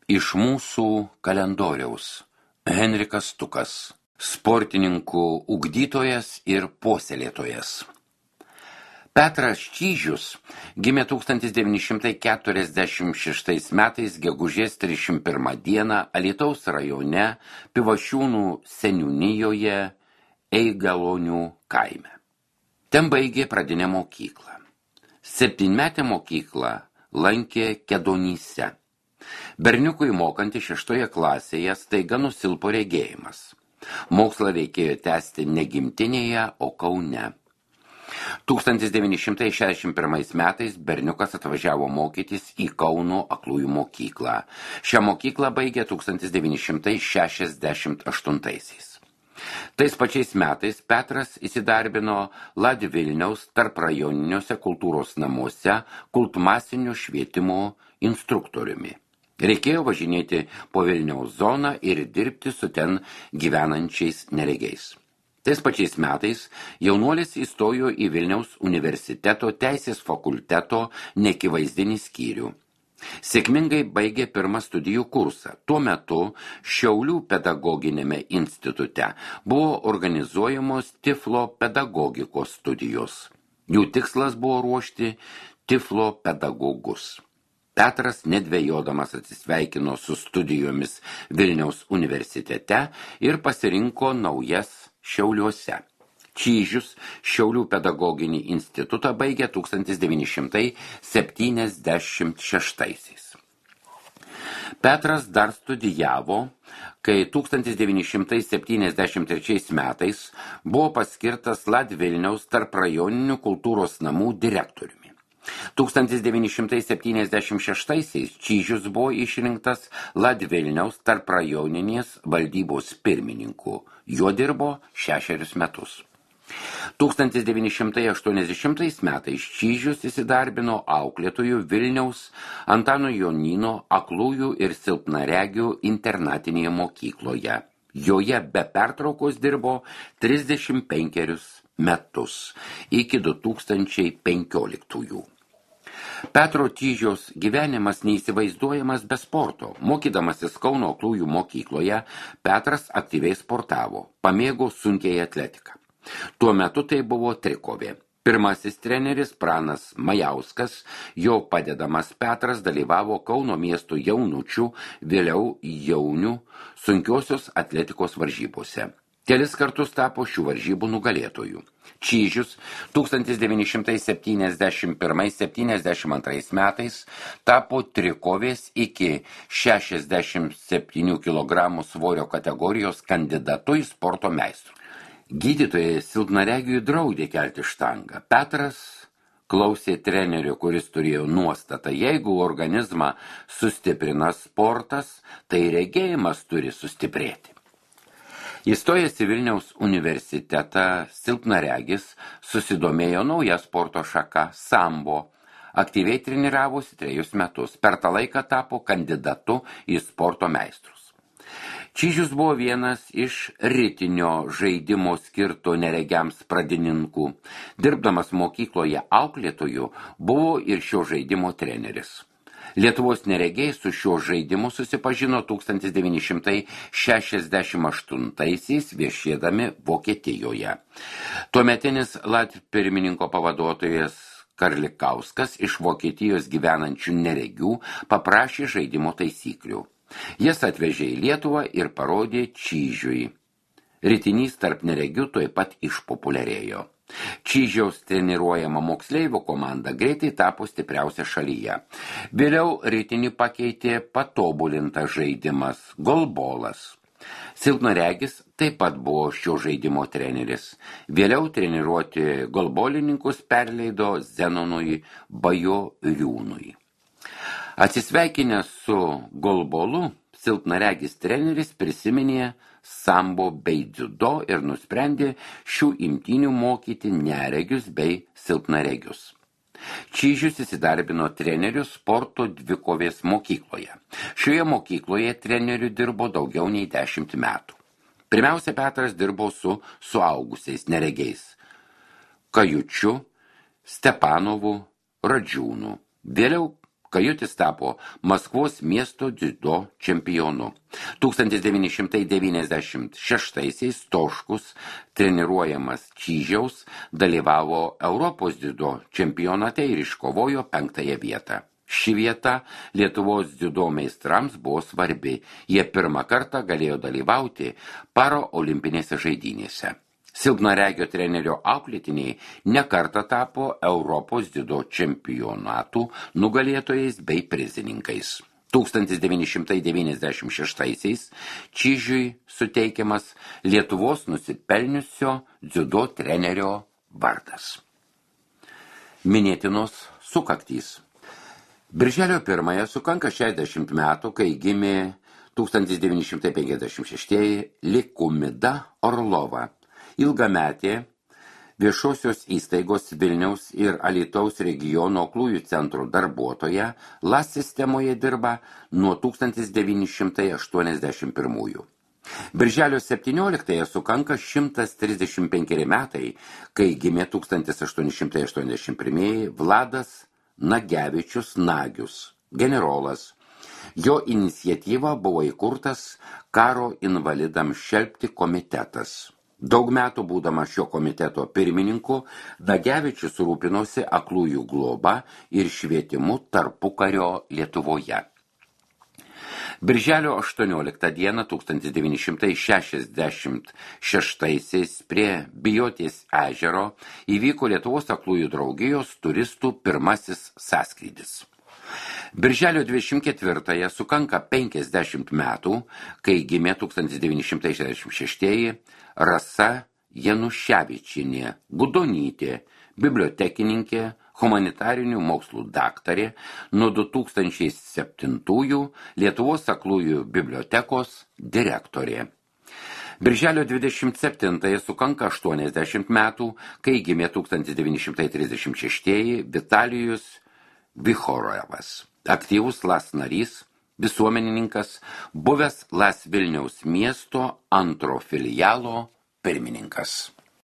Iš mūsų kalendoriaus Henrikas Stukas, sportininkų ugdytojas ir puoselėtojas. Petras Čyžius gimė 1946 metais gegužės 31 dieną Alytaus rajone Pivašiūnų seniūnijoje Eigalonių kaime. Ten baigė pradinę mokyklą. 7-metę mokyklą lankė Kedonyse. Berniukui mokantį 6 klasėje staiga nusilpo regėjimas. Mokslą reikėjo tęsti ne gimtinėje, o Kaune. 1961 metais berniukas atvažiavo mokytis į Kauno aklųjų mokyklą. Šią mokyklą baigė 1968. Tais pačiais metais Petras įsidarbino Vilniaus tarprajoniniuose kultūros namuose kultmasinio švietimo instruktoriumi. Reikėjo važinėti po Vilniaus zoną ir dirbti su ten gyvenančiais neregiais. Tais pačiais metais jaunuolis įstojo į Vilniaus universiteto teisės fakulteto neakivaizdinį skyrių. Sėkmingai baigė pirmą studijų kursą. Tuo metu Šiaulių pedagoginėme institute buvo organizuojamos Tiflo pedagogikos studijos. Jų tikslas buvo ruošti Tiflo pedagogus. Petras nedvejodamas atsisveikino su studijomis Vilniaus universitete ir pasirinko naujas Šiauliuose. Čyžius Šiaulių pedagoginį institutą baigė 1976. Petras dar studijavo, kai 1973 metais buvo paskirtas Vilniaus tarprajoninių kultūros namų direktoriumi. 1976 Čyžius buvo išrinktas Vilniaus tarprajoninės valdybos pirmininku. Juo dirbo 6 metus. 1980 metais Čyžius įsidarbino auklėtojų Vilniaus Antano Jonyno aklųjų ir silpnaregių internatinėje mokykloje. Joje be pertraukos dirbo 35 metus iki 2015. Petro Čyžiaus gyvenimas neįsivaizduojamas be sporto. Mokydamasis Kauno aklųjų mokykloje, Petras aktyviai sportavo, pamėgo sunkiai atletiką. Tuo metu tai buvo trikovė. Pirmasis treneris Pranas Majauskas, jo padedamas Petras dalyvavo Kauno miesto jaunučių, vėliau jaunių sunkiosios atletikos varžybose. Kelis kartus tapo šių varžybų nugalėtojų. Čyžius 1971–72 metais tapo trikovės iki 67 kg svorio kategorijos kandidatu į sporto meistrų. Gydytojai silpnaregiui draudė kelti štangą. Petras klausė trenerio, kuris turėjo nuostatą: jeigu organizmą sustiprina sportas, tai regėjimas turi sustiprėti. Įstojęs į Vilniaus universitetą, silpnaregis susidomėjo nauja sporto šaka – sambo. Aktyviai treniravosi 3 metus. Per tą laiką tapo kandidatu į sporto meistrus. Čyžius buvo vienas iš ritinio žaidimo skirto neregiams pradininkų. Dirbdamas mokykloje auklėtoju, buvo ir šio žaidimo treneris. Lietuvos neregiai su šiuo žaidimu susipažino 1968-aisiais viešėdami Vokietijoje. Tuometinis pirmininko pavaduotojas Karlikauskas iš Vokietijos gyvenančių neregių paprašė žaidimo taisyklių. Jas atvežė į Lietuvą ir parodė Čyžiui. Ritinys tarp neregių tuoj pat išpopuliarėjo. Čyžiaus treniruojama moksleivių komanda greitai tapo stipriausia šalyje. Vėliau ritinį pakeitė patobulintas žaidimas – golbolas. Silpnaregis taip pat buvo šio žaidimo treneris. Vėliau treniruoti golbolininkus perleido Zenonui Bajoriūnui. Atsisveikinęs su golbolu, silpnaregis treneris prisiminė sambo bei dziudo ir nusprendė šių imtynių mokyti neregius bei silpnaregius. Čyžius įsidarbino treneriu sporto dvikovės mokykloje. Šioje mokykloje treneriu dirbo daugiau nei 10 metų. Pirmiausia, Petras dirbo su suaugusiais neregiais – Kajučiu, Stepanovu, Radžiūnu. Vėliau Kajutis tapo Maskvos miesto dziudo čempionu. 1996-aisiais Stoškus, treniruojamas Čyžiaus, dalyvavo Europos dziudo čempionate ir iškovojo 5. vietą. Ši vieta Lietuvos dziudo meistrams buvo svarbi. Jie pirmą kartą galėjo dalyvauti paraolimpinėse žaidynėse. Silpnaregio trenerio auklėtiniai nekartą tapo Europos dziudo čempionatų nugalėtojais bei prizininkais. 1996-aisiais Čyžiui suteikiamas Lietuvos nusipelniusio dziudo trenerio vardas. Minėtinos sukaktys. Birželio 1 sukanka 60 metų, kai gimė 1956 Likumida Orlova, ilgametė viešosios įstaigos Vilniaus ir Alytaus regiono aklųjų centro darbuotoja, LAS sistemoje dirba nuo 1981. Birželio 17 sukanka 135 metai, kai gimė 1881 Vladas Nagevičius Nagius, generolas. Jo iniciatyva buvo įkurtas karo invalidams šelpti komitetas. Daug metų būdamas šio komiteto pirmininku, Nagevičius rūpinosi aklųjų globa ir švietimu tarpukario Lietuvoje. Birželio 18 dieną 1966 prie Bijotės ežero įvyko Lietuvos aklųjų draugijos turistų pirmasis sąskrydis. Birželio 24 sukanka 50 metų, kai gimė 1966 Rasa Januševičienė Gudonytė, bibliotekininkė, humanitarinių mokslų daktarė, nuo 2007 Lietuvos aklųjų bibliotekos direktorė. Birželio 27 sukanka 80 metų, kai gimė 1936 Vitalijus Vichorovas, aktyvus LAS narys, visuomenininkas, buvęs LAS Vilniaus miesto antro filialo pirmininkas.